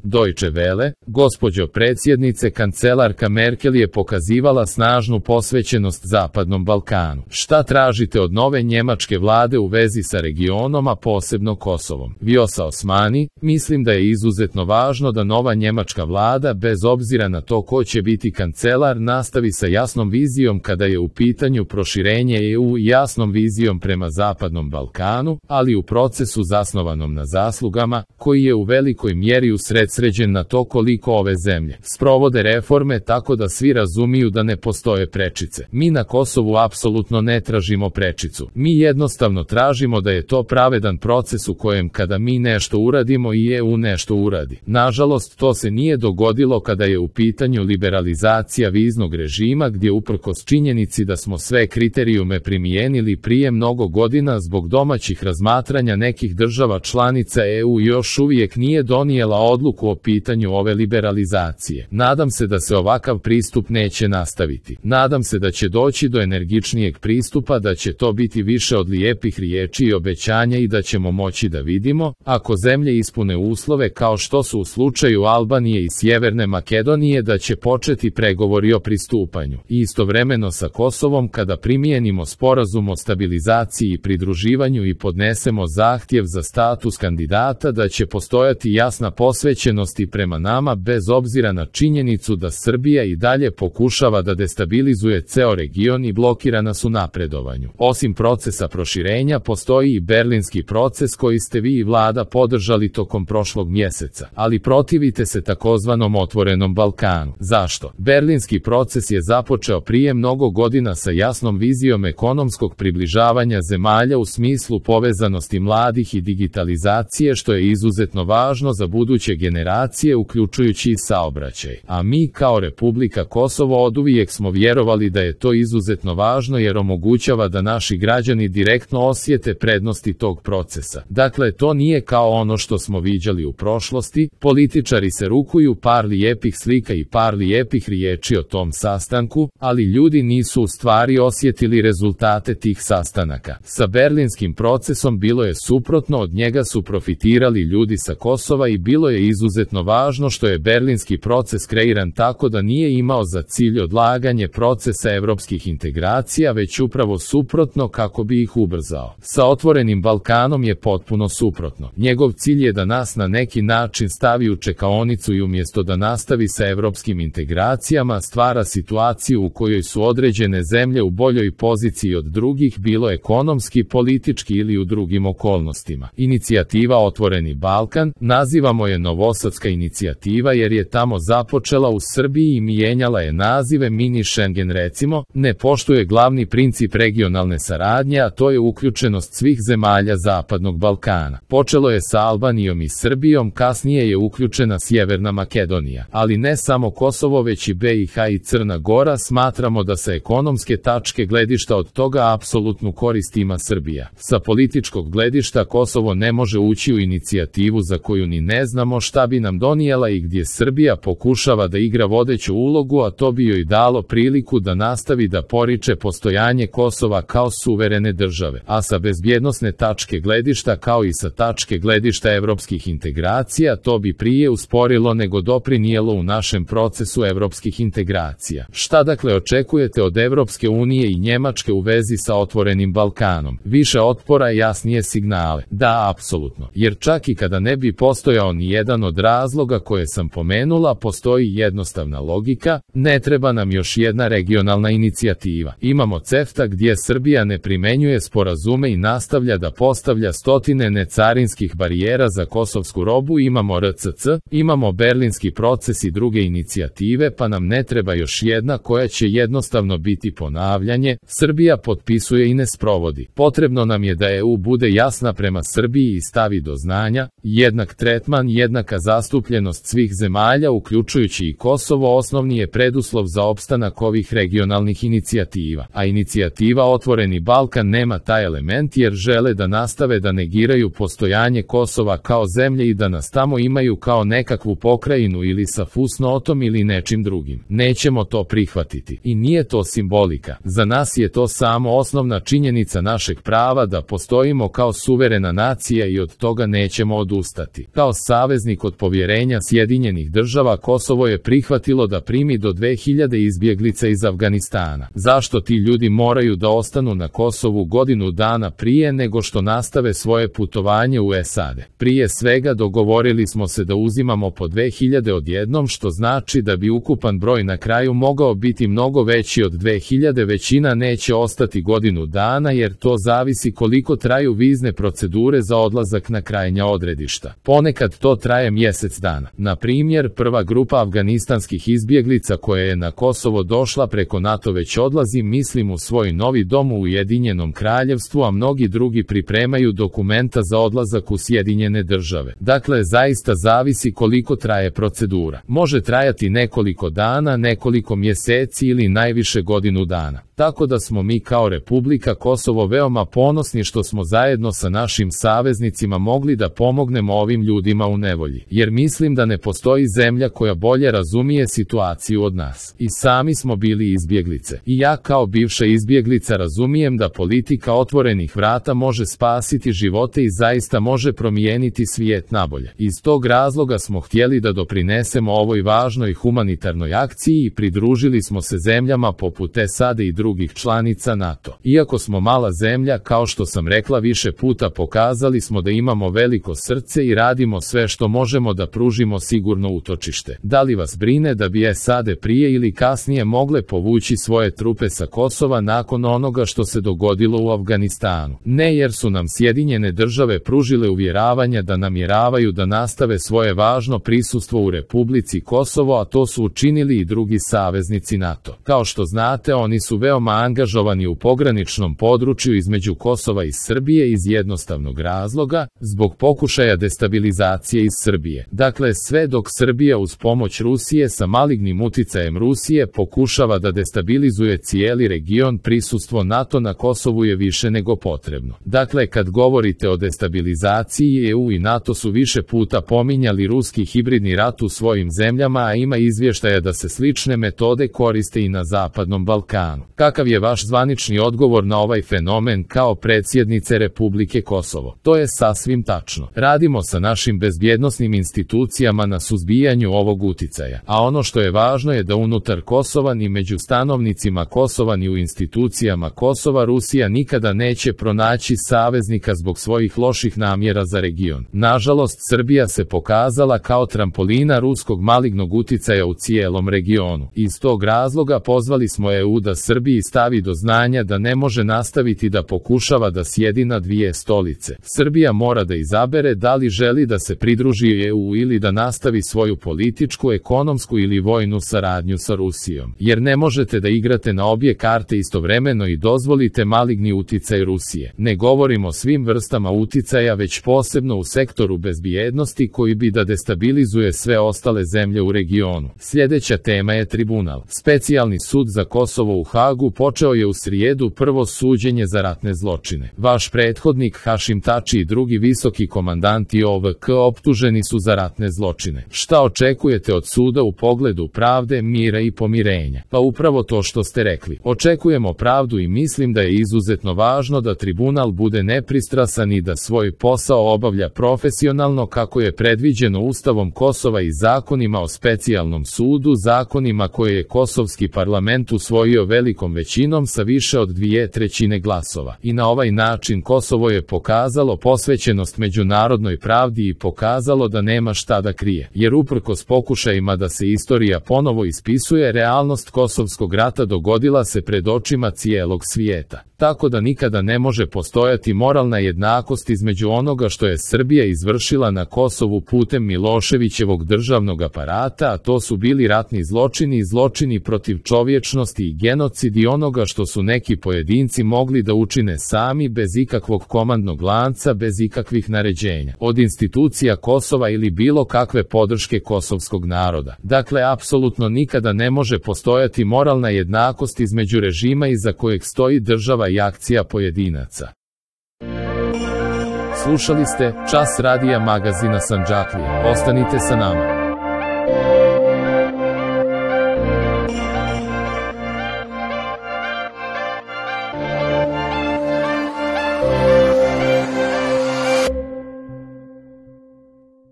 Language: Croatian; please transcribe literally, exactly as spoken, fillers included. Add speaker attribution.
Speaker 1: Deutsche Welle, gospođo predsjednice, kancelarka Merkel je pokazivala snažnu posvećenost Zapadnom Balkanu. Šta tražite od nove njemačke vlade u vezi sa regionom, a posebno Kosovom? Vjosa Osmani, mislim da je izuzetno važno da nova njemačka vlada, bez obzira na to ko će biti kancelar, nastavi sa jasnom vizijom kada je u pitanju proširenje E U i jasnom vizijom prema Zapadnom Balkanu, ali u procesu zasnovanom na zaslugama, koji je u velikoj mjeri usredsređen na to koliko ove zemlje sprovode reforme tako da svi razumiju da ne postoje prečice. Mi na Kosovu apsolutno ne tražimo prečicu. Mi jednostavno tražimo da je to pravedan proces u kojem kada mi nešto uradimo i E U nešto uradi. Nažalost, to se nije dogodilo kada je u pitanju liberalizacija viznog režima, gdje uprkos činjenici da smo sve kriterijume primijenili prije mnogo godina zbog domaćih razmatranja nekih država članica E U još uvijek nije donijela odluku o pitanju ove liberalizacije. Nadam se da se ovakav pristup neće nastaviti. Nadam se da će doći do energičnijeg pristupa, da će to biti više od lijepih riječi i obećanja i da ćemo moći da vidimo, ako zemlje ispune uslove kao što su u slučaju Albanije i Sjeverne Makedonije, da će početi pregovori o pristupanju. I istovremeno sa Kosovom, kada primijenimo sporazum o stabilizaciji i pridruživanju i podnesemo zahtjev za status kandidata, da će postojati jasna posvećenost i prema nama bez obzira na činjenicu da Srbija i dalje pokušava da destabilizuje ceo region i blokira nas u napredovanju. Osim procesa proširenja, postoji i berlinski proces koji ste vi i vlada podržali tokom prošlog mjeseca, ali protivite se takozvanom otvorenom Balkanu. Zašto? Berlinski proces je započeo prije mnogo godina sa jasnom vizijom ekonomskog približavanja zemalja u smislu povezanosti mladih i digitalizacije, što je izuzetno važno za buduće generacije, uključujući i saobraćaj. A mi kao Republika Kosovo oduvijek smo vjerovali da je to izuzetno važno jer omogućava da naši građani direktno osjete prednosti tog procesa. Dakle, to nije kao ono što smo viđali u prošlosti, političari se rukuju, par lijepih slika i par lijepih riječi o tom sastanku, ali ljudi nisu u stvari osjetili rezultate tih sastanaka. Sa berlinskim procesom bilo je suprotno, od njega su profitirali ljudi sa Kosova i bilo je izuzetno važno što je berlinski proces kreiran tako da nije imao za cilj odlaganje procesa evropskih integracija, već upravo suprotno, kako bi ih ubrzao. Sa otvorenim Balkanom je potpuno suprotno. Njegov cilj je da nas na neki način stavi u čekaonicu i umjesto da nastavi sa evropskim integracijama stvara situaciju u kojoj su određene zemlje u boljoj poziciji od drugih, bilo ekonomski, politički ili u drugim okolnostima. Inicijativa Otvoreni Balkan, nazivamo je Novosadska inicijativa jer je tamo započela u Srbiji i mijenjala je nazive mini Schengen recimo, ne poštuje glavni princip regionalne saradnje, a to je uključenost svih zemalja Zapadnog Balkana. Počelo je sa Albanijom i Srbijom, kasnije je uključena Sjeverna Makedonija, ali ne samo Kosovo već i B i H i Crna Gora. Smatramo da sa ekonomske tačke gledišta od toga apsolutnu korist ima Srbija. Sa političkog gledišta Kosovo ne može ući u inicijativu za koju ni ne znamo šta bi nam donijela i gdje Srbija pokušava da igra vodeću ulogu, a to bi joj dalo priliku da nastavi da poriče postojanje Kosova kao suverene države. A sa bezbjednosne tačke gledišta kao i sa tačke gledišta evropskih integracija to bi prije usporilo nego doprinijelo u našem procesu evropskih integracija. Šta dakle očekujete od Evropske unije i Njemačke u vezi sa otvorenim Balkanom? Više otpora i jasnije signale? Da, apsolutno. Jer čak i kada ne bi postojao ni jedan od razloga koje sam pomenula, postoji jednostavna logika, ne treba nam još jedna regionalna inicijativa. Imamo CEFTA gdje Srbija ne primenjuje sporazume i nastavlja da postavlja stotine necarinskih barijera za kosovsku robu, imamo R C C, imamo berlinski proces i druge inicijative, pa nam ne treba još jedna koja će jednostavno biti ponavljanje. Srbija potpisuje i ne sprovodi. Potrebno nam je da E U bude jasna prema Srbiji i stavi do znanja, jednak tretman, jednaka zastupljenost svih zemalja uključujući i Kosovo osnovni je preduslov za opstanak ovih regionalnih inicijativa. A inicijativa Otvoreni Balkan nema taj element jer žele da nastave da negiraju postojanje Kosova kao zemlje i da nas tamo imaju kao nekakvu pokrajinu ili sa fusnotom ili nečim drugim. Nećemo to prihvatiti. I nije to simbolika. Za nas je to samo osnovna činjenica našeg prava da postojimo kao suverena nacija i od toga nećemo odustati. Kao saveznik od kod povjerenja Sjedinjenih država Kosovo je prihvatilo da primi do dve hiljade izbjeglica iz Afganistana. Zašto ti ljudi moraju da ostanu na Kosovu godinu dana prije nego što nastave svoje putovanje u S A D? Prije svega dogovorili smo se da uzimamo po dve hiljade odjednom, što znači da bi ukupan broj na kraju mogao biti mnogo veći od dve hiljade. Većina neće ostati godinu dana jer to zavisi koliko traju vizne procedure za odlazak na krajnja odredišta. Ponekad to traje mjesec dana. Na primjer, prva grupa afganistanskih izbjeglica koja je na Kosovo došla preko NATO već odlazi, mislim, u svoj novi dom u Ujedinjenom Kraljevstvu, a mnogi drugi pripremaju dokumenta za odlazak u Sjedinjene države. Dakle, zaista zavisi koliko traje procedura. Može trajati nekoliko dana, nekoliko mjeseci ili najviše godinu dana. Tako da smo mi kao Republika Kosovo veoma ponosni što smo zajedno sa našim saveznicima mogli da pomognemo ovim ljudima u nevolji. Jer mislim da ne postoji zemlja koja bolje razumije situaciju od nas. I sami smo bili izbjeglice. I ja kao bivša izbjeglica razumijem da politika otvorenih vrata može spasiti živote i zaista može promijeniti svijet nabolje. Iz tog razloga smo htjeli da doprinesemo ovoj važnoj humanitarnoj akciji i pridružili smo se zemljama poput S A D i drugih drugih članica NATO. Iako smo mala zemlja, kao što sam rekla više puta, pokazali smo da imamo veliko srce i radimo sve što možemo da pružimo sigurno utočište. Da li vas brine da bi S A D prije ili kasnije mogle povući svoje trupe sa Kosova nakon onoga što se dogodilo u Afganistanu? Ne, jer su nam Sjedinjene države pružile uvjeravanja da namjeravaju da nastave svoje važno prisustvo u Republici Kosovo, a to su učinili i drugi saveznici NATO. Kao što znate, oni su veoma angažovani u pograničnom području između Kosova i Srbije iz jednostavnog razloga, zbog pokušaja destabilizacije iz Srbije. Dakle, sve dok Srbija uz pomoć Rusije sa malignim uticajem Rusije pokušava da destabilizuje cijeli region, prisustvo NATO na Kosovu je više nego potrebno. Dakle, kad govorite o destabilizaciji, E U i NATO su više puta pominjali ruski hibridni rat u svojim zemljama, a ima izvještaja da se slične metode koriste i na Zapadnom Balkanu. Kakav je vaš zvanični odgovor na ovaj fenomen kao predsjednice Republike Kosovo? To je sasvim tačno. Radimo sa našim bezbjednosnim institucijama na suzbijanju ovog uticaja, a ono što je važno je da unutar Kosova ni među stanovnicima Kosova ni u institucijama Kosova Rusija nikada neće pronaći saveznika zbog svojih loših namjera za region. Nažalost, Srbija se pokazala kao trampolina ruskog malignog uticaja u cijelom regionu. Iz tog razloga pozvali smo E U da Srbiji stavi do znanja da ne može nastaviti da pokušava da sjedi na dvije stolice. Srbija mora da izabere da li želi da se pridruži E U ili da nastavi svoju političku, ekonomsku ili vojnu saradnju sa Rusijom. Jer ne možete da igrate na obje karte istovremeno i dozvolite maligni uticaj Rusije. Ne govorimo o svim vrstama uticaja, već posebno u sektoru bezbjednosti koji bi da destabilizuje sve ostale zemlje u regionu. Sljedeća tema je tribunal. Specijalni sud za Kosovo u Hagu počeo je u srijedu prvo suđenje za ratne zločine. Vaš prethodnik Hašim Tači i drugi visoki komandanti O V K optuženi su za ratne zločine. Šta očekujete od suda u pogledu pravde, mira i pomirenja? Pa upravo to što ste rekli. Očekujemo pravdu i mislim da je izuzetno važno da tribunal bude nepristrasan i da svoj posao obavlja profesionalno kako je predviđeno Ustavom Kosova i zakonima o specijalnom sudu, zakonima koje je kosovski parlament usvojio velikom većinom sa više od dvije trećine glasova. I na ovaj način Kosovo je pokazalo posvećenost međunarodnoj pravdi i pokazalo da nema šta da krije. Jer uprkos pokušajima da se istorija ponovo ispisuje, realnost kosovskog rata dogodila se pred očima cijelog svijeta. Tako da nikada ne može postojati moralna jednakost između onoga što je Srbija izvršila na Kosovu putem Miloševićevog državnog aparata, a to su bili ratni zločini i zločini protiv čovječnosti i genocid, i onoga što su neki pojedinci mogli da učine sami bez ikakvog komandnog lanca, bez ikakvih naređenja od institucija Kosova ili bilo kakve podrške kosovskog naroda. Dakle, apsolutno nikada ne može postojati moralna jednakost između režima iza kojeg stoji država i akcija pojedinaca. Slušali ste Čas radija magazina Sandžaklija. Ostanite sa nama.